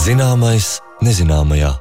Zināmais nezināmajā.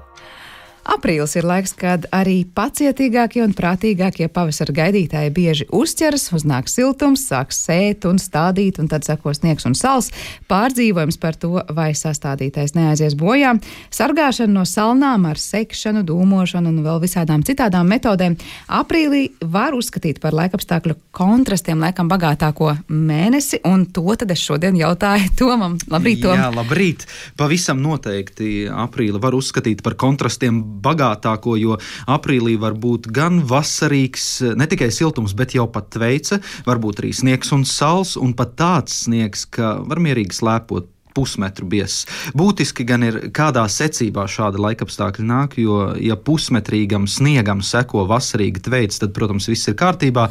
Aprīlis ir laiks, kad arī pacietīgākie un prātīgākie pavasara gaidītāji bieži uzķeras, uznāk siltums, sāks sēt un stādīt, un tad seko sniegs un sals. Pārdzīvojums par to, vai sastādītais neaizies bojā. Sargāšana no salnām ar sekšanu, dūmošanu un vēl visādām citādām metodēm. Aprīlī var uzskatīt par laikapstākļu kontrastiem laikam bagātāko mēnesi, un to tad es šodien jautāju Tomam. Labrīt, Tom! Jā, labrīt! Pavisam noteikti aprīli var uzskatīt par kontrastiem bagātāko, jo aprīlī var būt gan vasarīgs, ne tikai siltums, bet jau pat tveice, varbūt arī sniegs un sals, un pat tāds sniegs, ka var mierīgi slēpot pusmetru biezs. Būtiski gan ir, kādā secībā šāda laikapstākļa nāk, jo, ja pusmetrīgam sniegam seko vasarīga tveica, tad, protams, viss ir kārtībā,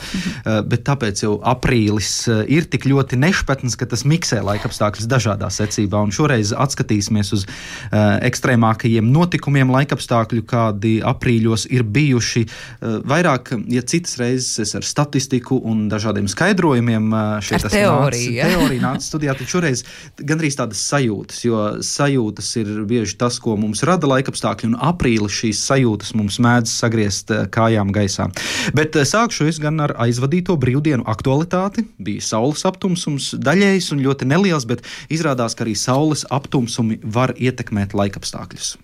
bet tāpēc jau aprīlis ir tik ļoti nešpatns, ka tas miksē laikapstākļus dažādā secībā, un šoreiz atskatīsimies uz ekstrēmākajiem notikumiem laikapstākļu, kādi aprīļos ir bijuši. Vairāk, ja citas reizes es ar statistiku un dažādiem skaidrojumiem šeit teorija nāca studijā, tad šoreiz gandrīz tādas sajūtas, jo sajūtas ir bieži tas, ko mums rada laikapstākļi, un aprīlis šīs sajūtas mums mēdz sagriezt kājām gaisā. Bet sākšu es gan ar aizvadīto brīvdienu aktualitāti. Bija saules aptumsums, daļējs un ļoti neliels, bet izrādās, ka arī saules aptumsumi var ietekmēt laikapstākļus.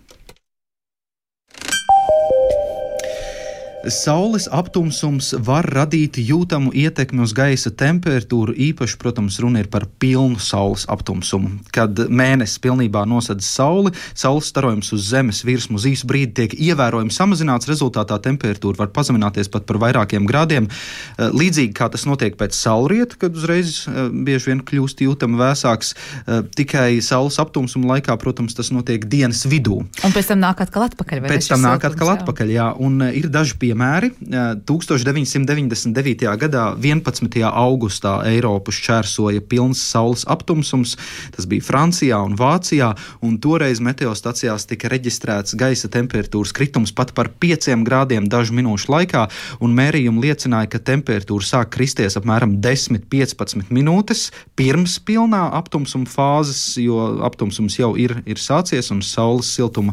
Saules aptumsums var radīt jūtamu ietekmi uz gaisa temperatūru, īpaši, protams, runa ir par pilnu saules aptumsumu. Kad mēnesis pilnībā nosedz sauli, saules starojums uz zemes virsmu uz īsu brīdi tiek ievērojami samazināts, rezultātā temperatūra var pazemināties pat par vairākiem grādiem. Līdzīgi kā tas notiek pēc saulrieta, kad uzreiz bieži vien kļūst jūtami vēsāks, tikai saules aptumsuma laikā, protams, tas notiek dienas vidū. Un pēc tam nāk atkal atpakaļ, vai ne? Pēc tam nāk atkal atpakaļ, jā, un ir daži piemēri. 1999. gadā 11. augustā Eiropu šķērsoja pilns saules aptumsums. Tas bija Francijā un Vācijā, un toreiz meteostacijās tika reģistrēts gaisa temperatūras kritums pat par 5 grādiem dažu minūšu laikā, un mērījumi liecināja, ka temperatūra sāk kristies apmēram 10-15 minūtes pirms pilnā aptumsuma fāzes, jo aptumsums jau ir sācies un saules siltuma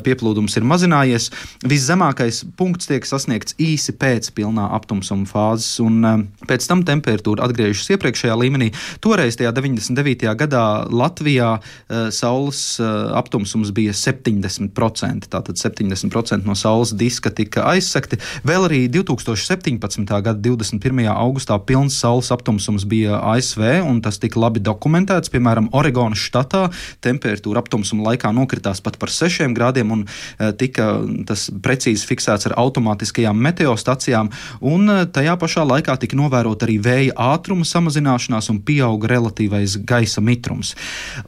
pieplūdums ir mazinājies. Viszemākais punkts tiek sasniegts īsi pēc pilnā aptumsuma fāzes, un pēc tam temperatūra atgriežas iepriekšējā līmenī. Toreiz tajā 99. gadā Latvijā saules aptumsums bija 70%, tātad 70% no saules diska tika aizsekti. Vēl arī 2017. gada 21. augustā pilns saules aptumsums bija ASV, un tas tika labi dokumentēts. Piemēram, Oregonas štatā temperatūra aptumsuma laikā nokritās pat par 6 grādiem, un tika tas precīzi fiksēts ar automātiskajām meteostacijām, un tajā pašā laikā tika novērot arī vēja ātruma samazināšanās un pieauga relatīvais gaisa mitrums.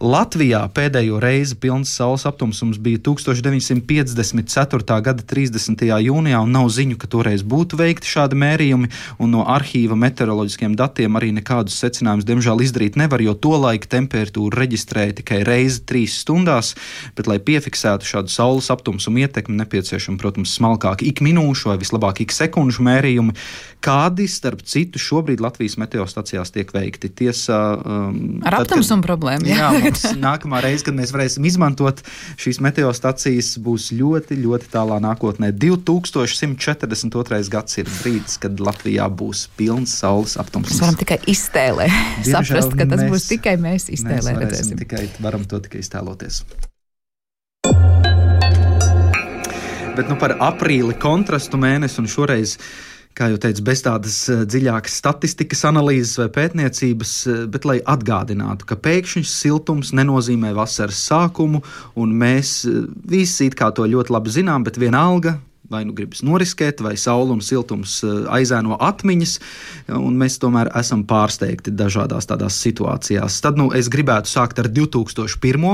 Latvijā pēdējo reizi pilns saules aptumsums bija 1954. gada 30. jūnijā, un nav ziņu, ka toreiz būtu veikti šādi mērījumi, un no arhīva meteoroloģiskiem datiem arī nekādus secinājumus diemžēl izdarīt nevar, jo tolaik temperatūru reģistrēja tikai reizi 3 stundās, bet, lai piefiksētu šādu saules aptumsumu ietekmi, nepieciešama, protams, smalkāk ik minūšu vai vislabāk ik sekundžu mērījumi, kādi, starp citu, šobrīd Latvijas meteostacijās tiek veikti. Tiesā, ar aptumsumu problēmu. Jā, mums nākamā reize, kad mēs varēsim izmantot šīs meteostacijas, būs ļoti, ļoti tālā nākotnē. 2142. gads ir brīdis, kad Latvijā būs pilns saules aptumsums. Mēs varam tikai iztēlē saprast, ka tas būs tikai mēs iztēlē redzēsim. Varam to tikai iztēloties. Bet par aprīli kontrastu mēnesi, un šoreiz, kā jau teicu, bez tādas dziļākas statistikas analīzes vai pētniecības, bet lai atgādinātu, ka pēkšņs siltums nenozīmē vasaras sākumu, un mēs visi it kā to ļoti labi zinām, bet vienalga, vai nu gribas noriskēt, vai saule un siltums aizēno atmiņas, un mēs tomēr esam pārsteigti dažādās tādās situācijās. Tad es gribētu sākt ar 2001.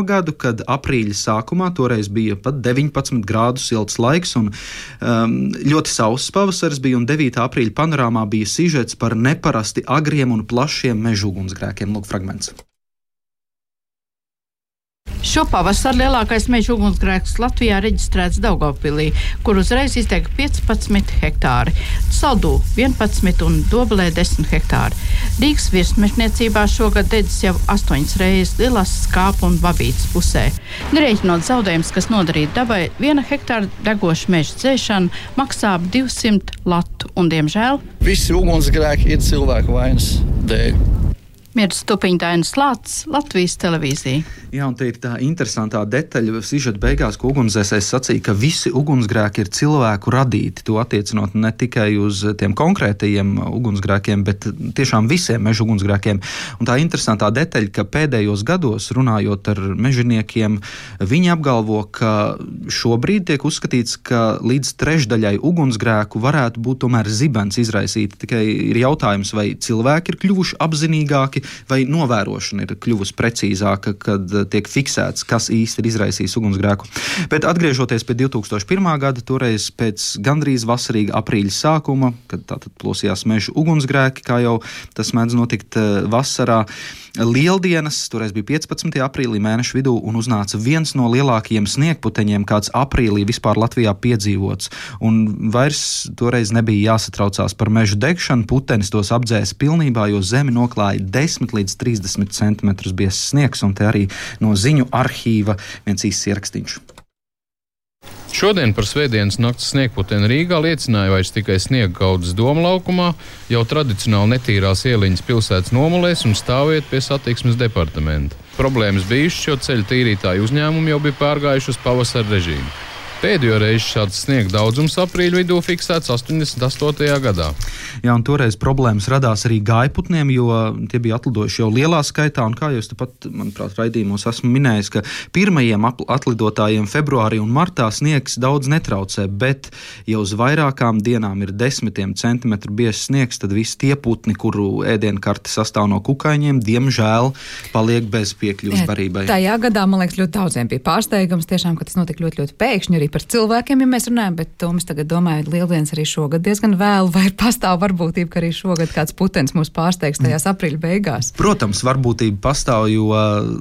gadu, kad aprīļa sākumā toreiz bija pat 19 grādu silts laiks, un ļoti sauss pavasaris bija, un 9. aprīļa panorāmā bija sižets par neparasti agriem un plašiem mežugunsgrēkiem. Lūk, fragments. Šo pavasaru lielākais meža ugunsgrēks Latvijā reģistrēts Daugavpilī, kur uzreiz izdega 15 hektāri, Saldū 11 un Dobelē 10 hektāri. Rīgas virsmežniecībā šogad dedzis jau 8 reizes Lielās, Skāpu un Babītas pusē. Nerēķinot zaudējumus, kas nodarīti dabai, 1 hektāra degoša meža dzēšana maksā 200 latu un, diemžēl, visi ugunsgrēki ir cilvēku vainas dēļ. Mirdz Stupiņa, Dainis Lācis, Latvijas televīzija. Jā, un te ir tā interesantā detaļa sižeta beigās, ko ugunsdzēsējs sacīja, ka visi ugunsgrēki ir cilvēku radīti. To attiecinot ne tikai uz tiem konkrētajiem ugunsgrēkiem, bet tiešām visiem meža ugunsgrēkiem. Un tā interesantā detaļa, ka pēdējos gados, runājot ar mežaniekiem, viņi apgalvo, ka šobrīd tiek uzskatīts, ka līdz trešdaļai ugunsgrēku varētu būt tomēr zibens izraisīti. Tikai ir jautājums, vai cilvēki ir kļuvuši apzinīgāki, vai novērošana ir kļuvusi precīzāka, kad tiek fiksēts, kas īsti ir izraisījis ugunsgrēku. Bet atgriežoties pie 2001. gada, toreiz pēc gandrīz vasarīga aprīļa sākuma, kad tātad plosījās meža ugunsgrēki, kā jau tas mēdz notikt vasarā, Lieldienas, toreiz bija 15. aprīlī mēneša vidū, un uznāca viens no lielākajiem sniegputeņiem, kāds aprīlī vispār Latvijā piedzīvots. Un vairs toreiz nebija jāsatraucās par meža degšanu, putenis tos apdzēsa pilnībā, jo zemi noklāja 10 līdz 30 centimetrus biezs sniegs, un te arī no ziņu arhīva viens īsts ierakstīns. Šodien par svētdienas nakts sniegputeni Rīgā liecināja vairs tikai sniega gaudas Doma laukumā, jau tradicionāli netīrās ieliņas pilsētas nomalēs un stāvvieta pie satiksmes departamenta. Problēmas bijušas, jo ceļu tīrītāju uzņēmumi jau bija pārgājuši uz pavasara režīmu. Pēdējo reizi šāds sniega daudzums aprīļa vidū fiksēts 88. gadā. Jā, un toreiz problēmas radās arī gājputniem, jo tie bija atlidojuši jau lielā skaitā, un kā jūs tepat, manuprāt, raidījumos esmu minējis, ka pirmajiem atlidotājiem februārī un martā sniegs daudz netraucē, bet jau uz vairākām dienām ir 10 centimetru biezs sniegs, tad visi tie putni, kuru ēdienkarte sastāv no kukaiņiem, diemžēl paliek bez piekļuvas barībai. Tajā gadā, man liekas, ļoti daudziem bija pārsteigums, tiešām, ka tas notika ļoti, ļoti pēkšņi arī par cilvēkiem, ja mēs runājam, bet to mēs tagad domājam, Lieldienas arī šogad diezgan vēlu, vai pastāv varbūtība, ka arī šogad kāds putenis mūs pārsteigs tajās aprīļa beigās? Protams, varbūtība pastāv, jo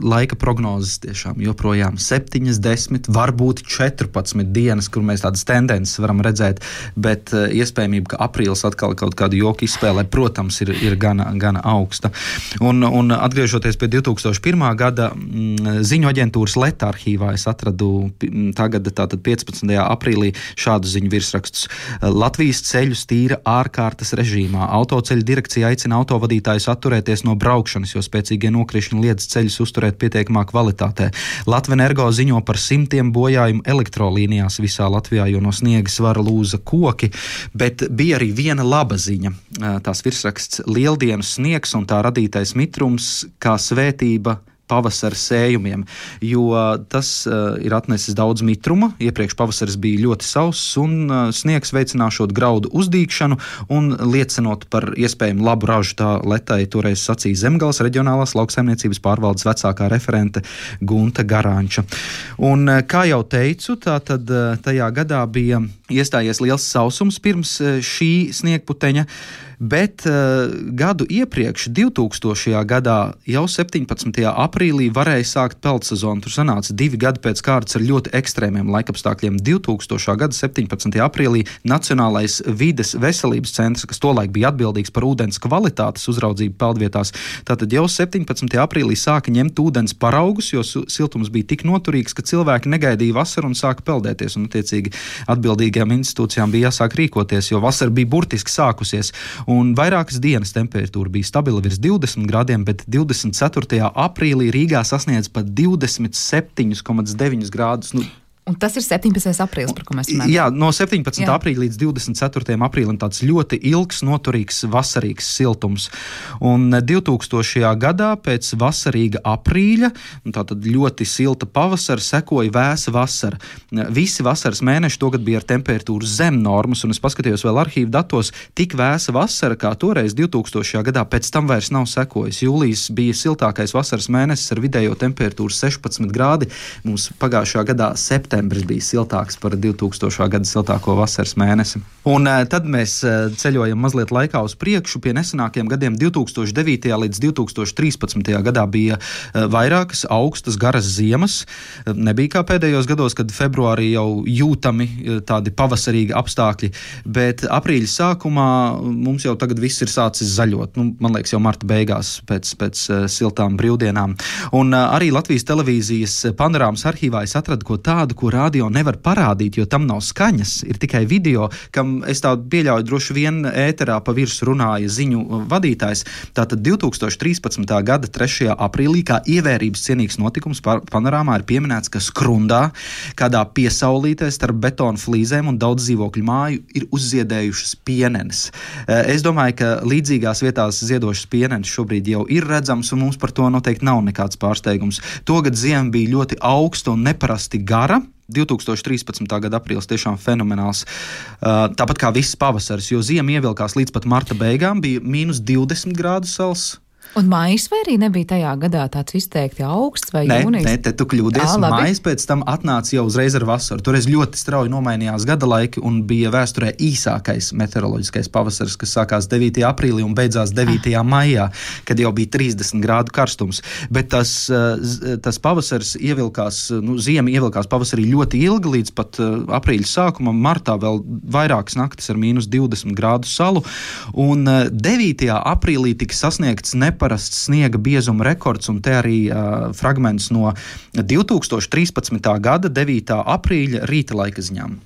laika prognozes tiešām joprojām 7, 10, varbūt 14 dienas, kur mēs tādas tendences varam redzēt, bet iespējamība, ka aprīlis atkal kaut kādu joku izspēlē, protams, ir gana augsta. Un atgriežoties pie 2001. gada ziņu aģentūras Leta arhīvā, es atradu tagad tātad 15. aprīlī šādu ziņu virsrakstus. Latvijas ceļus tīra ārkārtas režīmā. Autoceļu direkcija aicina autovadītājus atturēties no braukšanas, jo spēcīgie nokrišņi liedz ceļus uzturēt pietiekamā kvalitātē. Latvenergo ziņo par 100 bojājumu elektrolīnijās visā Latvijā, jo no sniega svara lūza koki, bet bija arī viena laba ziņa. Tās virsraksts Lieldienu sniegs un tā radītais mitrums kā svētība pavasara sējumiem, jo tas ir atnesis daudz mitruma. Iepriekš pavasaris bija ļoti sauss un sniegs veicināšot graudu uzdīgšanu un liecinot par iespējamu labu ražu, tā Letai toreiz sacīja Zemgales reģionālās lauksaimniecības pārvaldes vecākā referente Gunta Garāņča. Un kā jau teicu, tātad tajā gadā bija iestājies liels sausums pirms šī sniegputeņa, bet gadu iepriekš, 2000. gadā, jau 17. aprīlī varēja sākt peldsezonu. Tur sanāca 2 gadi pēc kārtas ar ļoti ekstrēmiem laikapstākļiem. 2000. gada 17. aprīlī Nacionālais vides veselības centrs, kas tolaik bija atbildīgs par ūdens kvalitātes uzraudzību peldvietās, tātad jau 17. aprīlī sāka ņemt ūdens paraugus, jo siltums bija tik noturīgs, ka cilvēki negaidīja vasaru un sāka peldēties. Un, attiecīgi, atbildīgajām institūcijām bija jāsāk rīkoties, jo vasara bija burtiski sākusies. Un vairākas dienas temperatūra bija stabila virs 20 grādiem, bet 24. aprīlī Rīgā sasniedz pat 27,9 grādus. Un tas ir 17. aprīlis, par ko mēs runājam. Jā, no 17. aprīļa līdz 24. aprīlim tāds ļoti ilgs, noturīgs, vasarīgs siltums. Un 2000. gadā pēc vasarīga aprīļa, tātad ļoti silta pavasara, sekoja vēsa vasara. Visi vasaras mēneši togad bija ar temperatūru zem normas, un es paskatījos vēl arhīvu datos, tik vēsa vasara, kā toreiz 2000. gadā, pēc tam vairs nav sekojis. Jūlijas bija siltākais vasaras mēnesis ar vidējo temperatūru 16 grādi, mums pagājušajā gadā septembrī septembris bija siltāks par 2000. Gada siltāko vasaras mēnesi. Un tad mēs ceļojam mazliet laikā uz priekšu pie nesenākiem gadiem. 2009. līdz 2013. gadā bija vairākas augstas, garas ziemas. Nebija kā pēdējos gados, kad februārī jau jūtami tādi pavasarīgi apstākļi, bet aprīļa sākumā mums jau tagad viss ir sācis zaļot. Man liekas, jau marta beigās pēc siltām brīvdienām. Un arī Latvijas televīzijas panorāmas arhīvā es atradu ko tādu, ko radio nevar parādīt, jo tam nav skaņas, ir tikai video, kam es tā pieļauju droši vien ēterā pa virsmu runāja ziņu vadītājs. Tātad 2013. gada 3. aprīlī kā ievērības cienīgs notikums panorāmā ir pieminēts, ka Skrundā, kādā piesaulītē starp betonu flīzēm un daudz dzīvokļu māju ir uzziedējušas pienenes. Es domāju, ka līdzīgās vietās ziedošas pienenes šobrīd jau ir redzams, un mums par to noteikti nav nekāds pārsteigums. Togad ziema bija ļoti augsta un neparasti gara. 2013. gada aprīlis tiešām fenomenāls. Tāpat kā viss pavasaris, jo ziema ievilkās līdz pat marta beigām, bija -20 grādu sals. Un maijs vai arī nebija tajā gadā tāds izteikti augsts vai jūnijas? Nē, te tu kļūdies. Maijs pēc tam atnāca jau uzreiz ar vasaru. Toreiz ļoti strauji nomainījās gada laiki un bija vēsturē īsākais meteoroloģiskais pavasaris, kas sākās 9. aprīlī un beidzās 9. maijā, kad jau bija 30 grādu karstums. Bet tas pavasaris ievilkās, ziema ievilkās pavasarī ļoti ilgi, līdz pat aprīļa sākumam, martā vēl vairākas naktis ar -20 grādu salu. Un 9. aprīlī tika sasniegts neparasts sniega biezuma rekords, un te arī fragments no 2013. gada 9. aprīļa rīta laika ziņām.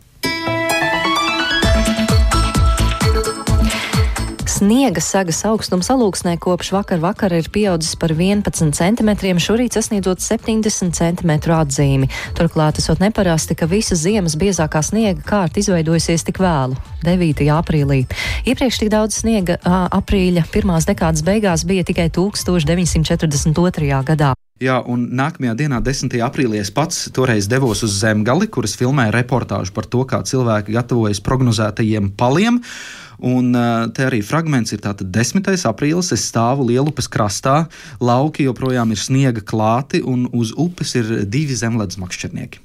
Sniega sagas augstums Alūksnē kopš vakara ir pieaudzis par 11 centimetriem, šorīt sasniedzot 70 centimetru atzīmi. Turklāt esot neparasti, ka visas ziemas biezākā sniega kārta izveidojusies tik vēlu, 9. aprīlī. Iepriekš tik daudz sniega aprīļa pirmās dekādas beigās bija tikai 1942. gadā. Jā, un nākamajā dienā, 10. aprīlī, es pats toreiz devos uz Zemgali, kuras filmēja reportāžu par to, kā cilvēki gatavojas prognozētajiem paliem. Un te arī fragments ir tātad 10. aprīlis, es stāvu Lielupes krastā, lauki joprojām ir sniega klāti un uz upes ir 2 zemledus makšķernieki.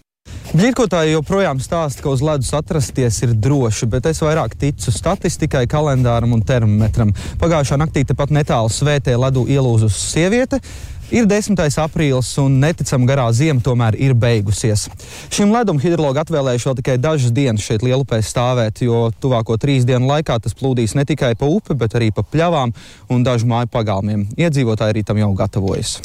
Ģirkotāji joprojām stāsta, ka uz ledus atrasties ir droši, bet es vairāk ticu statistikai, kalendāram un termometram. Pagājušā naktī tepat netālu Svētē ledu ielūzusi sieviete. Ir 10. aprīlis un neticam garā ziema tomēr ir beigusies. Šim ledum hidrologi atvēlējuši vēl tikai dažas dienas šeit Lielupē stāvēt, jo tuvāko 3 dienu laikā tas plūdīs ne tikai pa upi, bet arī pa pļavām un dažu māju pagalmiem. Iedzīvotāji arī tam jau gatavojas.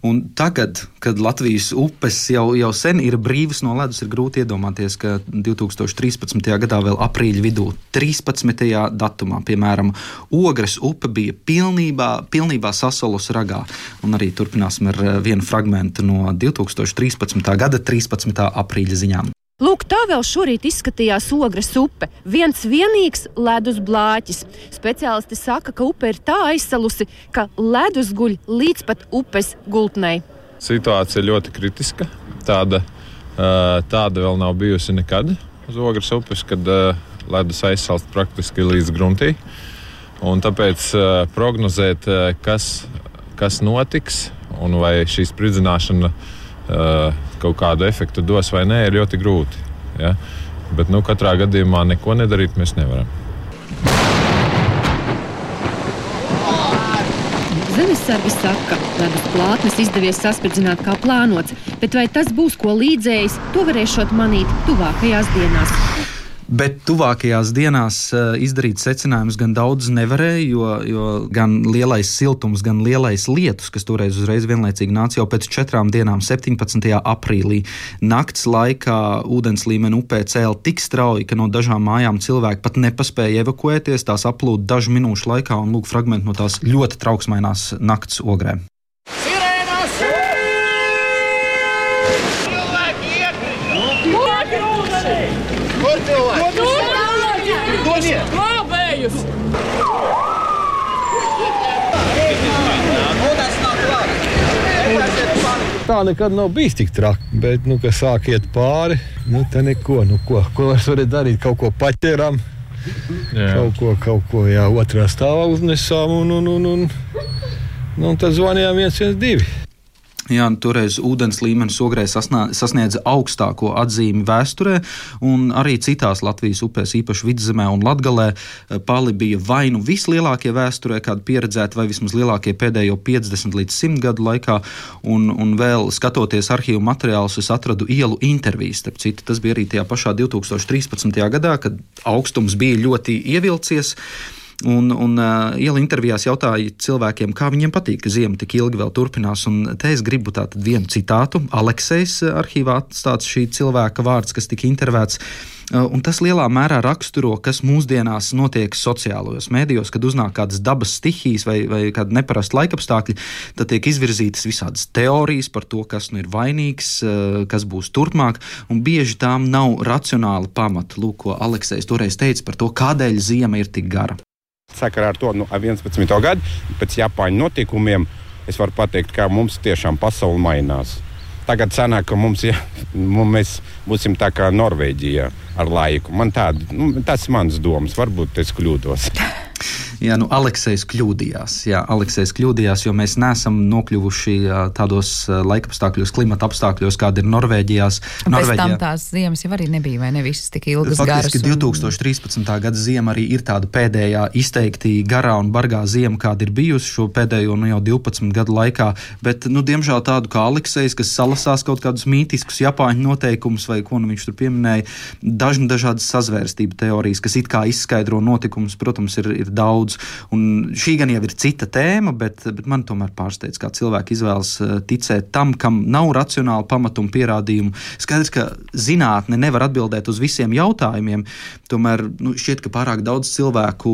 Un tagad, kad Latvijas upes jau sen ir brīvas no ledus, ir grūti iedomāties, ka 2013. gadā vēl aprīļa vidū, 13. datumā, piemēram, Ogres upe bija pilnībā sasalus ragā. Un arī turpināsim ar vienu fragmentu no 2013. gada 13. aprīļa ziņām. Lūk, tā vēl šorīt izskatījās Ogres upe. Viens vienīgs ledus blāķis. Speciālisti saka, ka upe ir tā aizsalusi, ka ledus guļ līdz pat upes gultnei. Situācija ļoti kritiska. Tāda vēl nav bijusi nekad uz Ogres upes, kad ledus aizsalst praktiski līdz gruntī. Un tāpēc prognozēt, kas notiks un vai šī spridzināšana kaut kādu efektu dos vai nē, ir ļoti grūti. Ja? Bet katrā gadījumā neko nedarīt mēs nevaram. Zemesargi saka, ka ledus plātnes izdevies saspridzināt kā plānots, bet vai tas būs ko līdzējis, to varēšot manīt tuvākajās dienās. Bet tuvākajās dienās izdarīt secinājumus gan daudz nevarēja, jo gan lielais siltums, gan lielais lietus, kas toreiz uzreiz vienlaicīgi nāca jau pēc 4 dienām, 17. aprīlī. Nakts laikā ūdens līmeni upē cēla tik strauji, ka no dažām mājām cilvēki pat nepaspēja evakuēties, tās aplūda dažu minūšu laikā un lūk fragmenti no tās ļoti trauksmainās nakts Ogrē. Tā nekad nav bijis tik traki, bet, kad sāk iet pāri, te neko, ko var darīt, kaut ko paķeram, kaut ko, otrā stāvā uznesām un tad zvanījām 112. Jā, toreiz ūdens līmenis Ogrē sasniedza augstāko atzīmi vēsturē, un arī citās Latvijas upēs, īpaši Vidzemē un Latgalē, pali bija vai nu vislielākie vēsturē, kādi pieredzēti, vai vismaz lielākie pēdējo 50 līdz 100 gadu laikā, un vēl skatoties arhīvu materiālus, es atradu ielu intervijas, starp citu, tas bija arī tajā pašā 2013. gadā, kad augstums bija ļoti ievilcies. Un iela intervijās jautāja cilvēkiem, kā viņiem patīk, ka ziema tik ilgi vēl turpinās. Un te es gribu tātad vienu citātu. Aleksejs arhīvā atstāts šī cilvēka vārds, kas tika intervēts. Un tas lielā mērā raksturo, kas mūsdienās notiek sociālajos mēdījos, kad uznāk kādas dabas stihijas vai kāda neparasta laikapstākļi, tad tiek izvirzītas visādas teorijas par to, kas nu ir vainīgs, kas būs turpmāk, un bieži tām nav racionāla pamata. Lūk, ko Aleksejs toreiz teica par to, kādēļ ziema ir tik gara. Sakarā ar to 11. gadu, pēc Japāņu notikumiem, es varu pateikt, ka mums tiešām pasaule mainās. Tagad sanāk, ka mēs būsim tā kā Norvēģijā ar laiku. Tas ir mans domas, varbūt es kļūdos. Jā, Aleksejs kļūdījās, jo mēs neesam nokļuvuši tādos laikapstākļos, klimata apstākļos, kāda ir Norvēģijā. Pēc tam tās ziemas jau arī nebija, vai ne visas tik ilgas garas? Faktiski 2013. gada ziema arī ir tāda pēdējā izteikti garā un bargā ziema, kāda ir bijusi šo pēdējo jau 12 gadu laikā, bet, diemžēl tādu kā Aleksejs, kas salasās kaut kādus mītiskus japāņu noteikumus, vai ko viņš tur pieminēja, dažādas sazvērstību teorijas, kas it kā izskaidro notikumus, protams, ir daudz. Un šī gan jau ir cita tēma, bet man tomēr pārsteidz, kā cilvēki izvēlas ticēt tam, kam nav racionāla pamata un pierādījumu. Skaidrs, ka zinātne nevar atbildēt uz visiem jautājumiem, tomēr šķiet, ka pārāk daudz cilvēku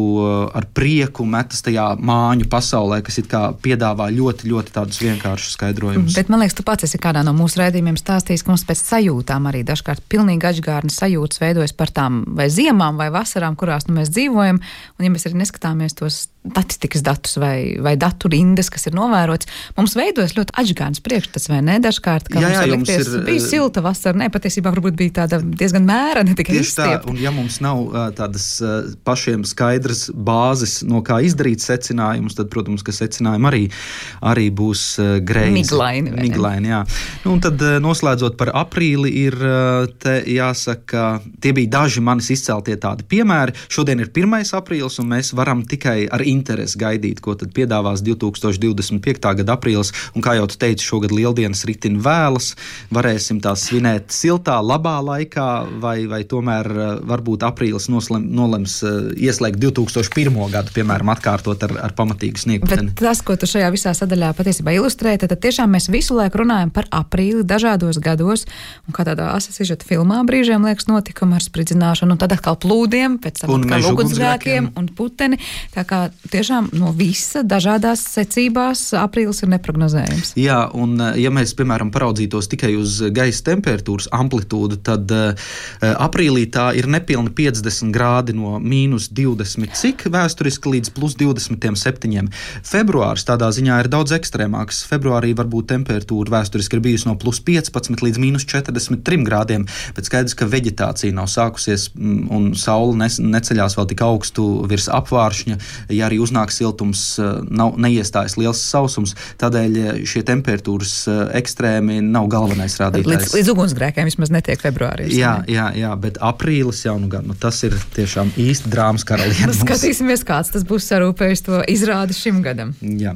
ar prieku metas tajā māņu pasaulē, kas it kā piedāvā ļoti, ļoti tādus vienkāršus skaidrojumus. Bet man liekas, tu pats esi kādā no mūsu raidījumiem stāstījis, ka mums pēc sajūtām arī dažkārt pilnīgi atžgārnas sajūtas veidojas par tām vai ziemām vai vasarām, kurās mēs dzīvojam, un ja mēs arī neskatāmies tos statistikas datus vai datu rindas, kas ir novērots, mums veidojas ļoti atžgārnas priekšstats, vai ne? Dažkārt, ka mums likties, bija silta vasara, patiesībā varbūt bija tāda diezgan mēra, ne tikai izstiepta. Un ja mums nav tādas pašiem skaidras bāzes, no kā izdarīt secinājumus, tad, protams, ka secinājumi arī būs greizi. Miglaini, jā. Un tad noslēdzot par aprīli ir, te jāsaka, tie bija daži manis izceltie tādi piemēri. Šodien ir 1. aprīlis, un mēs varam tikai ar interesi gaidīt, ko tad piedāvās 2025. gada aprīlis, un kā jau tu teici, šogad lieldienas ritin vēlas, varēsim tās svinēt siltā, labā laikā, vai tomēr varbūt aprīlis nolems ieslēgt 2001. gadu, piemēram, atkārtot ar pamatīgu sniegputeni. Bet tas, ko tu šajā visā sadaļā patiesībā ilustrē, tad tiešām mēs visu laiku runājam par aprīli dažādos gados, un kā tādā asasižeta filmā brīžiem liekas notikumi ar spridzināšanu, un tad atkal plūdiem, pēc tam atkal ugunsgrēkiem un puteni. Tā kā tiešām no visa dažādās secībās aprīlis ir neprognozējams. Jā, un ja mēs, piemēram, paraudzītos tikai uz gaisa temperatūras amplitūdu, tad aprīlī tā ir nepilni 50 grādi no -20 cik vēsturiski līdz +27. Februārs tādā ziņā ir daudz ekstrēmāks. Februārī varbūt temperatūra vēsturiski ir bijusi no +15 līdz -43 grādiem, bet skaidrs, ka veģetācija nav sākusies un saule neceļās vēl tik augstu virs apvāršņa. Ja arī uznāk siltums, neiestājas liels sausums, tādēļ šie temperatūras ekstrēmi nav galvenais rādītājs. Līdz ugunsgrēkiem vismaz netiek februārī. Jā, bet aprīlis jau tas ir tiešām īsti drāmas karaliene. Skatīsimies, kāds tas būs sarūpējis to izrādi šim gadam. Jā.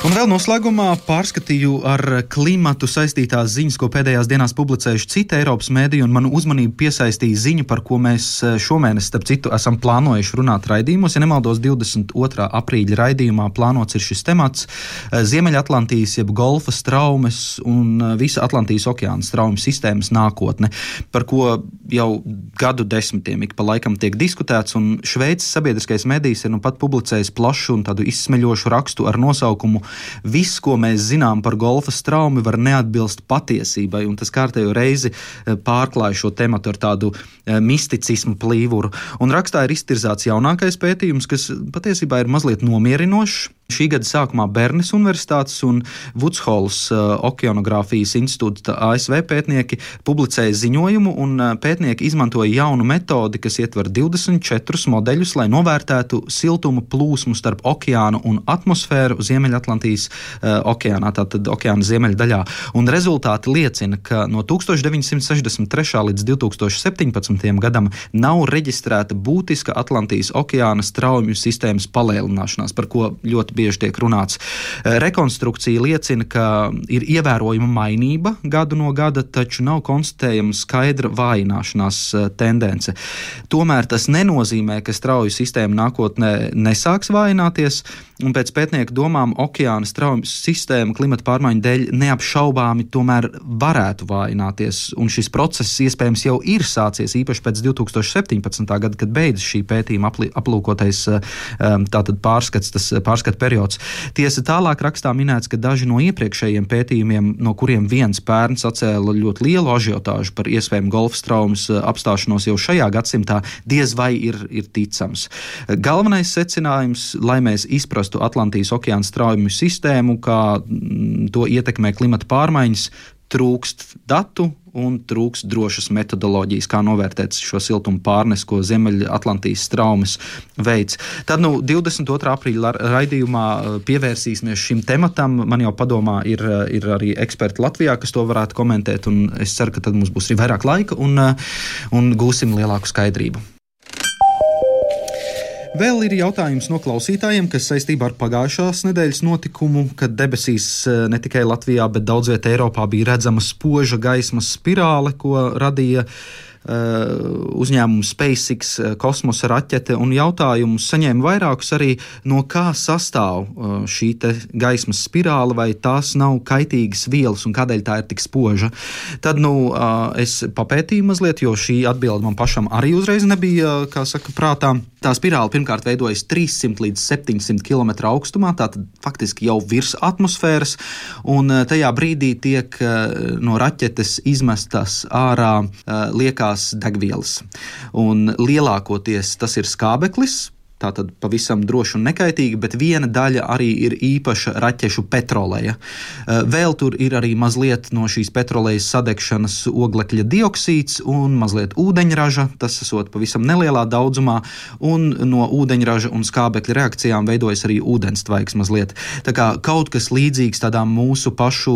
Un vēl noslēgumā pārskatīju ar klimatu saistītās ziņas, ko pēdējās dienās publicējuši citi Eiropas mēdīji, un manu uzmanību piesaistīja ziņa, par ko mēs šomēnes, starp citu, esam plānojuši runāt raidījumos. Ja nemaldos, 22. aprīļa raidījumā plānots ir šis temats - Ziemeļatlantijas jeb Golfa straumes un visa Atlantijas okeāna straumes sistēmas nākotne, par ko jau gadu desmitiem ik pa laikam tiek diskutēts, un Šveices sabiedriskais mēdījis ir pat publicējis plašu un tādu izsmeļošu rakstu ar nosaukumu Viss, ko mēs zinām par Golfa straumi, var neatbilst patiesībai, un tas kārtējo reizi pārklāja šo tematu ar tādu misticismu plīvuru. Un rakstā ir iztirzāts jaunākais pētījums, kas patiesībā ir mazliet nomierinošs. Šī gada sākumā Bernes Universitātes un Vudsholas okeanogrāfijas institūta ASV pētnieki publicēja ziņojumu, un pētnieki izmantoja jaunu metodi, kas ietver 24 modeļus, lai novērtētu siltuma plūsmu starp okeānu un atmosfēru Ziemeļatlantijas okeānā, tātad okeāna ziemeļdaļā. Un rezultāti liecina, ka no 1963. līdz 2017. gadam nav reģistrēta būtiska Atlantijas okeāna straumju sistēmas palielināšanās, par ko ļoti bieži tiek runāts. Rekonstrukcija liecina, ka ir ievērojama mainība gadu no gada, taču nav konstatējama skaidra vājināšanās tendence. Tomēr tas nenozīmē, ka strauju sistēma nākotnē nesāks vājināties, un pēc pētnieku domām okeāna strauju sistēma klimata pārmaiņu dēļ neapšaubāmi tomēr varētu vājināties, un šis process iespējams jau ir sācies, īpaši pēc 2017. gada, kad beidzas šī pētījuma aplūkotais tātad pārskata periods. Tiesa tālāk rakstā minēts, ka daži no iepriekšējiem pētījumiem, no kuriem viens pērns atcēla ļoti lielu ažiotāžu par iespējamu golfa straumes apstāšanos jau šajā gadsimtā, diez vai ir ticams. Galvenais secinājums, lai mēs izprastu Atlantijas okeāna straujumu sistēmu, kā to ietekmē klimata pārmaiņas, trūkst datu un trūkst drošas metodoloģijas, kā novērtēt šo siltumu pārnes, ko Ziemeļatlantijas straumes veids. Tad 22. aprīļa raidījumā pievērsīsimies šim tematam. Man jau padomā ir arī eksperti Latvijā, kas to varētu komentēt, un es ceru, ka tad mums būs arī vairāk laika un gūsim lielāku skaidrību. Vēl ir jautājums no klausītājiem, kas saistībā ar pagājušās nedēļas notikumu, kad debesīs ne tikai Latvijā, bet daudz vietā Eiropā bija redzama spoža gaismas spirāle, ko radīja uzņēmums SpaceX kosmosa raķete, un jautājumus saņēma vairākus arī, no kā sastāv šī te gaismas spirāle, vai tās nav kaitīgas vielas un kādēļ tā ir tik spoža. Tad es papētīju mazliet, jo šī atbilde man pašam arī uzreiz nebija, kā saka, prātā. Tā spirāle pirmkārt veidojas 300 līdz 700 km augstumā, tātad faktiski jau virs atmosfēras, un tajā brīdī tiek no raķetes izmestas ārā liekās degvielas. Un lielākoties tas ir skābeklis, tātad pavisam droši un nekaitīgi, bet viena daļa arī ir īpaša raķešu petroleja. Vēl tur ir arī mazliet no šīs petrolejas sadegšanas oglekļa dioksīds un mazliet ūdeņraža, tas esot pavisam nelielā daudzumā, un no ūdeņraža un skābekļa reakcijām veidojas arī ūdenstvaiks mazliet. Tā kā kaut kas līdzīgs tādām mūsu pašu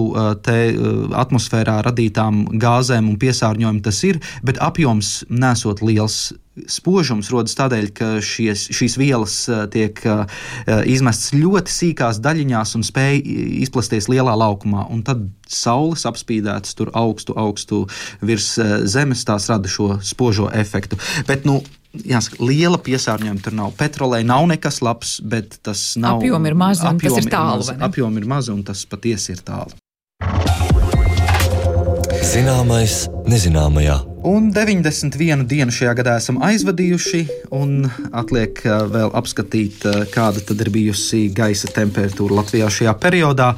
atmosfērā radītām gāzēm un piesārņojumu tas ir, bet apjoms nesot liels. Spožums rodas tādēļ, ka šīs vielas tiek izmestas ļoti sīkās daļiņās un spēj izplasties lielā laukumā, un tad saules apspīdētas tur augstu virs zemes, tās rada šo spožo efektu. Bet, jāsaka, liela piesārņojuma tur nav. Petrolei nav nekas labs, bet tas nav. Apjomi ir mazi un tas ir tālu, vai ne? Apjomi ir mazi un tas patiesi ir tālu. Zināmais nezināmajā. Un 91 dienu šajā gadā esam aizvadījuši, un atliek vēl apskatīt, kāda tad ir bijusi gaisa temperatūra Latvijā šajā periodā.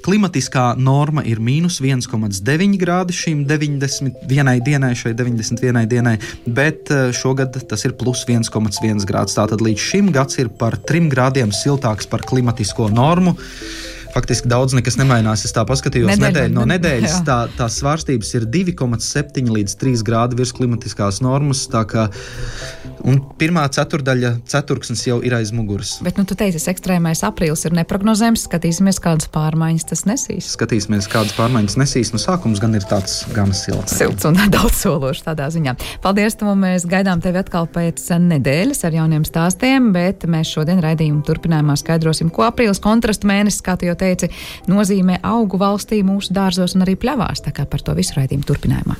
Klimatiskā norma ir -1,9 grādi šīm 91 dienai, bet šogad tas ir +1,1 grāds. Tātad līdz šim gads ir par 3 grādiem siltāks par klimatisko normu. Faktiski daudz nekas nemainās. Es tā paskatījos nedēļu no nedēļas. Tās svārstības ir 2,7 līdz 3 grādi virs klimatiskās normas. Un pirmā ceturksnis jau ir aiz muguras. Bet tu teici, ekstrēmais aprīlis ir neprognozējams. Skatīsimies, kādas pārmaiņas tas nesīs. Skatīsimies, kādas pārmaiņas nesīs. Sākums gan ir tāds gan silts. Silts un daudz sološs tādā ziņā. Paldies, Tom. Mēs gaidām tevi atkal pēc nedēļas ar jauniem stāstiem, bet mēs šodien raidījumu turpinājumā skaidrosim, ko aprīlis kontrastu mēnesis, kā tu jau teici, nozīmē augu valstī, mūsu dārzos un arī pļavās. Tā kā par to visu raidījumu turpinājumā.